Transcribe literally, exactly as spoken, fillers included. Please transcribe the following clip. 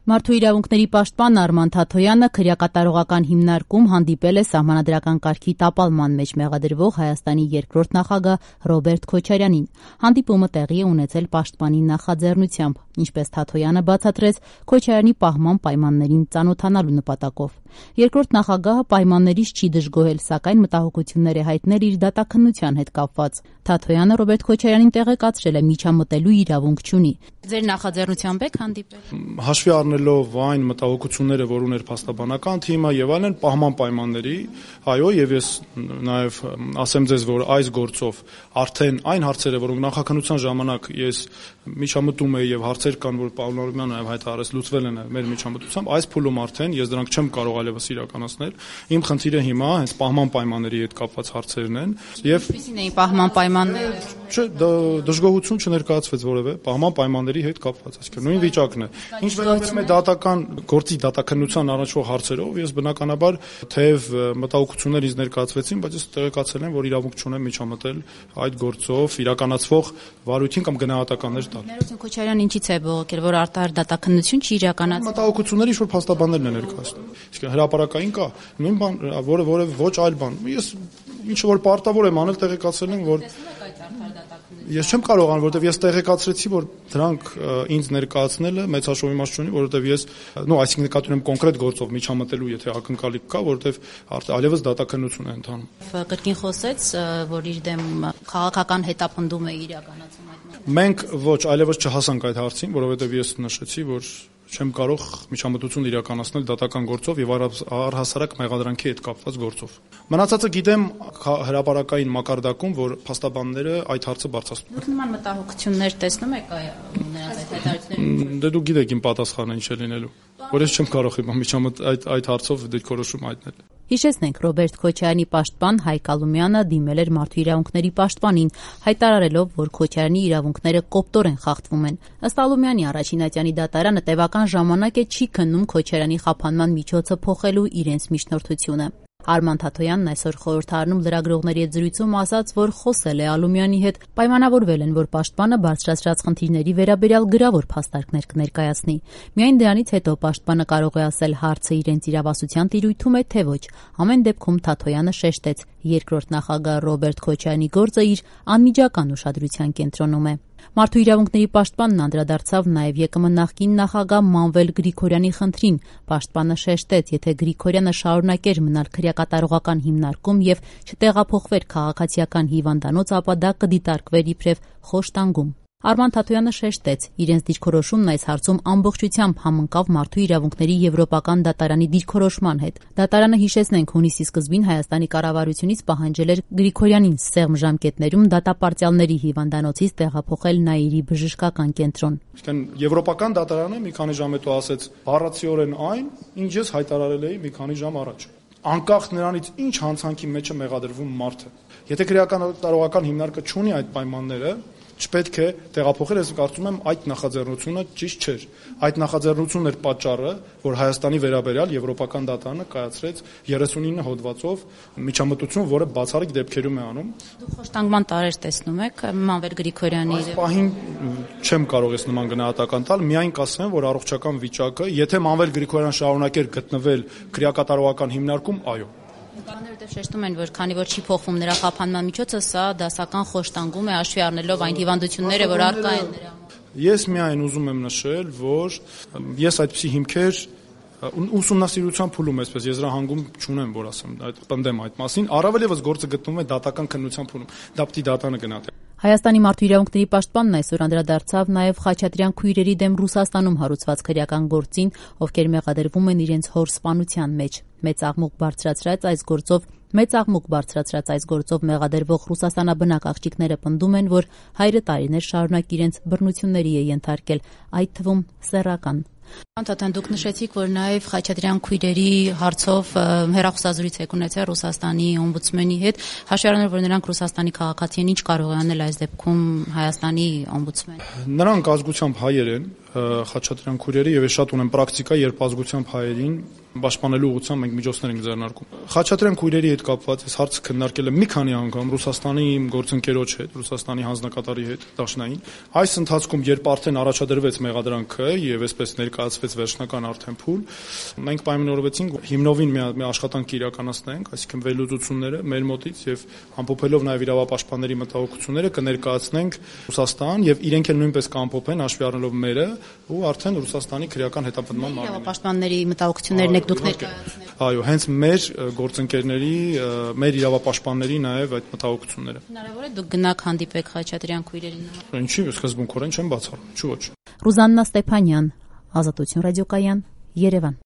Մարդու իրավունքների պաշտպան Արման Թաթոյանը քրեակատարողական հիմնարկում հանդիպել է սահմանադրական կարգի տապալման մեջ մեղադրվող Հայաստանի երկրորդ նախագահ Ռոբերտ Քոչարյանին։ Հանդիպումը տեղի է ունեցել պաշտպանի նախաձեռնությամբ, ինչպես Թաթոյանը բացատրեց, Քոչարյանի պահման պայմաններին ծանոթանալու նպատակով։ Երկրորդ նախագահը պայմաններից չի դժգոհել, սակայն մտահոգություններ է հայտնել իր դատաքննության հետ կապված։ Թաթոյանը Ռոբերտ Քոչարյանին տեղեկացրել է միջամտելու իրավունք չունի։ Ձեր նախաձեռնությամբ եք հանդիպել։ Հաշվի առնելով այն մտահոգությունները, որ ուներ փաստաբանական թիմը եւ այլն, պահման պայմանների, այո, եւ ես նաեւ ասեմ ձեզ, որ այս գործով արդեն այն հարցերը, որոնք նախաքննության ժամանակ ես միջամտում եի եւ հարցեր կան, որ Պավել Արամյանը նաեւ հայտարարեց, լուծվել են մեր միջամտությամբ, այս փուլում արդեն ես դրանք չեմ կարող այլևս իրականացնել։ Իմ խնդիրը հիմա հենց պահման պայմանների հետ կապված հարցերն են եւ Ինչպիսին էին պահման պայմանները։ Չէ, դժգոհություն չներկայացվեց որևէ պահման պայմանների հետ կապված, այսինքն նույն վիճակն է։ Ինչ վերաբերում է դատական գործի դատաքննության առնչվող հարցերով, ես բնականաբար թեև մտահոգություններ ինձ ներկայացվեցին, բայց ես տեղեկացել եմ, որ իրավունք չունեմ միջամտել այդ գործով իրականացվող վարույթին կամ գնահատականներ տալ։ Ներողություն, Քոչարյանը ինչի՞ց է բողոքել, որ արտահայտ դատաքննություն չի իրականացել։ Մտահոգությունները ինչ-որ փաստաբաններն են ներկայացնում։ Իսկ հրապարակային կա նույն բան, որը որը ոչ այլ բան։ Ես ինչ որ պարտավոր եմ անել, տեղեկացել եմ, որ Ես չեմ կարող ան, որովհետև ես տեղեկացրեցի, որ դրանք ինձ ներկայացնելը մեծ հաշվի մաս չունի, որովհետև ես, նո, այսինքն նկատի ունեմ կոնկրետ գործով միջամտելու, եթե ակնկալիք կա, որովհետև այլևս դատաքննություն է ընթանում։ Կրկին խոսեց, որ իր դեմ քաղաքական հետապնդում է իրականացում այդ մարդը։ Մենք ոչ, այլևս չհասանք այդ հարցին, որովհետև ես նշեցի, որ չեմ կարող միջամտություն իրականացնել դատական գործով եւ առհասարակ մեղադրանքի հետ կապված գործով։ Մնացածը գիտեմ հրապարակային մակարդակում, որ փաստաբանները այդ հարցը բարձրացնում են։ Դուք նման մտահոգություններ տեսնում եք նրանց այդ հայտարարությունների։ Դե դուք գիտեք իմ պատասխանը ինչ է լինելու, որ ես չեմ կարող հիմա միջամտ այդ այդ հարցով դիրքորոշում հայտնել։ Հիշեցնենք, Ռոբերտ Քոչարյանի պաշտպան Հայկ Ալումյանը դիմել էր մարդու իրավունքների պաշտպանին, հայտարարելով, որ Քոչարյանի իրավունքները կոպտորեն խախտվում են։ Ըստ Ալումյանի, առաջին ատյանի դատարանը տևական ժամանակ է չի քննում Քոչարյանի խափանման միջոցը փոխելու իրենց միջնորդությունը։ Արման Թաթոյանն այսօր խորհրդարանում լրագրողների հետ զրույցում ասաց, որ խոսել է Ալումյանի հետ, պայմանավորվել են, որ պաշտպանը բարձրացրած խնդիրների վերաբերյալ գրավոր փաստարկներ կներկայացնի։ Միայն դրանից հետո պաշտպանը կարող է ասել հարցը իրենց իրավասության տիրույթում է, թե ոչ։ Ամեն դեպքում Թաթոյանը շեշտեց, երկրորդ նախագահ Ռոբերտ Քոչարյանի գործը իր անմիջական ուշադրության կենտրոնում է։ Մարդու իրավունքների պաշտպանն անդրադարձավ նաև ԵԿՄ նախկին նախագահ Մանվել Գրիգորյանի խնդրին։ Պաշտպանը շեշտեց, եթե Գրիգորյանը շարունակեր մնալ քրեակատարողական հիմնարկում եւ չտեղափոխվեր քաղաքացիական հիվանդանոց, ապա դա կդիտարկվեր իբրև խոշտանգում։ Արման Թաթոյանը շեշտեց, իրենց դիրքորոշումն այս հարցում ամբողջությամբ համընկավ մարդու իրավունքների եվրոպական դատարանի դիրքորոշման հետ։ Դատարանը, հիշեցնենք, հունիսի սկզբին Հայաստանի կառավարությունից պահանջել էր Գրիգորյանին սեղմ ժամկետներում դատապարտյալների հիվանդանոցից տեղափոխել Նաիրի բժշկական կենտրոն։ Իսկական եվրոպական դատարանը մի քանի ժամ հետո ասեց բառացիորեն այն, ինչ ես հայտարարել էի մի քանի ժամ առաջ։ Անկախ նրանից ինչ հանցանքի մեջ է մեղադրվում մարդը։ Եթե քրեակատարողական հիմնարկը չունի այդ պայմանները, չպետք է տեղափոխել, ես կարծում եմ այդ նախաձեռնությունը ճիշտ չէր։ Այդ նախաձեռնությունն էր պատճառը, որ Հայաստանի վերաբերյալ եվրոպական դատարանը կայացրեց երեսունինը հոդվածով միջամտություն, որը բացառիկ դեպքերում է անում։ Դուք խոշտանգման տարեր տեսնում եք Մանվել Գրիգորյանի։ Այս պահին չեմ կարող ես նման գնահատական տալ, միայն կասեմ, որ առողջական վիճակը, եթե Մանվել Գրիգորյանը շարունակեր գտնվել քրեակատարողական հիմնարկում, այո։ Կաներտև շեշտում են, որ քանի որ չի փոխվում նրա խափանման միջոցը, սա դասական խոշտանգում է հաշվի առնելով այն հիվանդությունները, որ առկա են նրա։ Ես միայն ուզում եմ նշել, որ ես այդպիսի հիմքեր ուսումնասիրության փուլում այսպես եզրահանգում չունեմ, որ ասեմ, այդ պնդեմ այդ մասին, առավել եւս գործը գտնվում է դատական քննության փուլում։ Դա պիտի դատանը գնահատի։ Հայաստանի մարդու իրավունքների պաշտպանն այսօր անդրադարձավ նաև Խաչատրյան քույրերի դեմ Ռուսաստանում հարուցված քրեական գործին, ովքեր մեղադրվում են իրենց հոր սպանության մեջ։ Մեծ աղմուկ բարձրացրած այս գործով Մեծ աղմուկ բարձրացրած այս գործով մեղադրվող ռուսաստանաբնակ աղջիկները պնդում են, որ հայրը տարիներ շարունակ իրենց բռնությունների է ենթարկել, այդ թվում սեռական։ Անտատան դուք նշեցիք, որ նաև Խաչատրյան քույրերի հարցով հեռախոսազրույց եք ունեցել Ռուսաստանի օմբուդսմենի հետ, հաշվի առնելով, որ նրանք Ռուսաստանի քաղաքացի են, ինչ կարող է անել այս դեպքում Հայաստանի օմբուդսմենը։ Նրանք ազգությամբ հայեր են, Խաչատրյան քույրերի եւ ես շատ ունեմ պրակտիկա, երբ ազգությամբ հայերին պաշտպանելու ուղղությամբ մենք միջոցներ ենք ձեռնարկում։ Խաչատրյան քույրերի հետ կապված այս հարցը քննարկել եմ մի քանի անգամ Ռուսաստանի իմ գործընկերոջ հետ, Ռուսաստանի հանձնակատարի հետ, Դաշնային։ Այս ընթացքում, երբ արդեն առաջադրվեց մեղադրանքը եւ այսպես ներկայացվեց վերջնական արդեն փուլ, մենք պայմանավորվեցինք հիմնովին մի աշխատանք իրականացնենք, այսինքն վերլուծությունները մեր մոտից եւ ամփոփելով նաեւ իրավապաշտպանների մտահոգությունները կներկայացնենք Ռուսաստան եւ իրենք էլ նույնպես կամփոփեն հաշվի առնելով մերը ու արդեն Ռուսաստանի քրեական հետապնդման մարմին։ Իրավապաշտպանների մտահոգություններն եք դուք ներկայացնել։ Այո, հենց մեր գործընկերների, մեր իրավապաշտպանների նաեւ այդ մտահոգությունները։ Հնարավոր է դուք գնաք հանդիպեք Խաչատրյան քույրերին։ Ինչի՞ սկզբունքորեն չեմ բացառում, չի ոչ։ Ռուզաննա Ստեփանյան, Ազատություն ռադիոկայան, Երևան։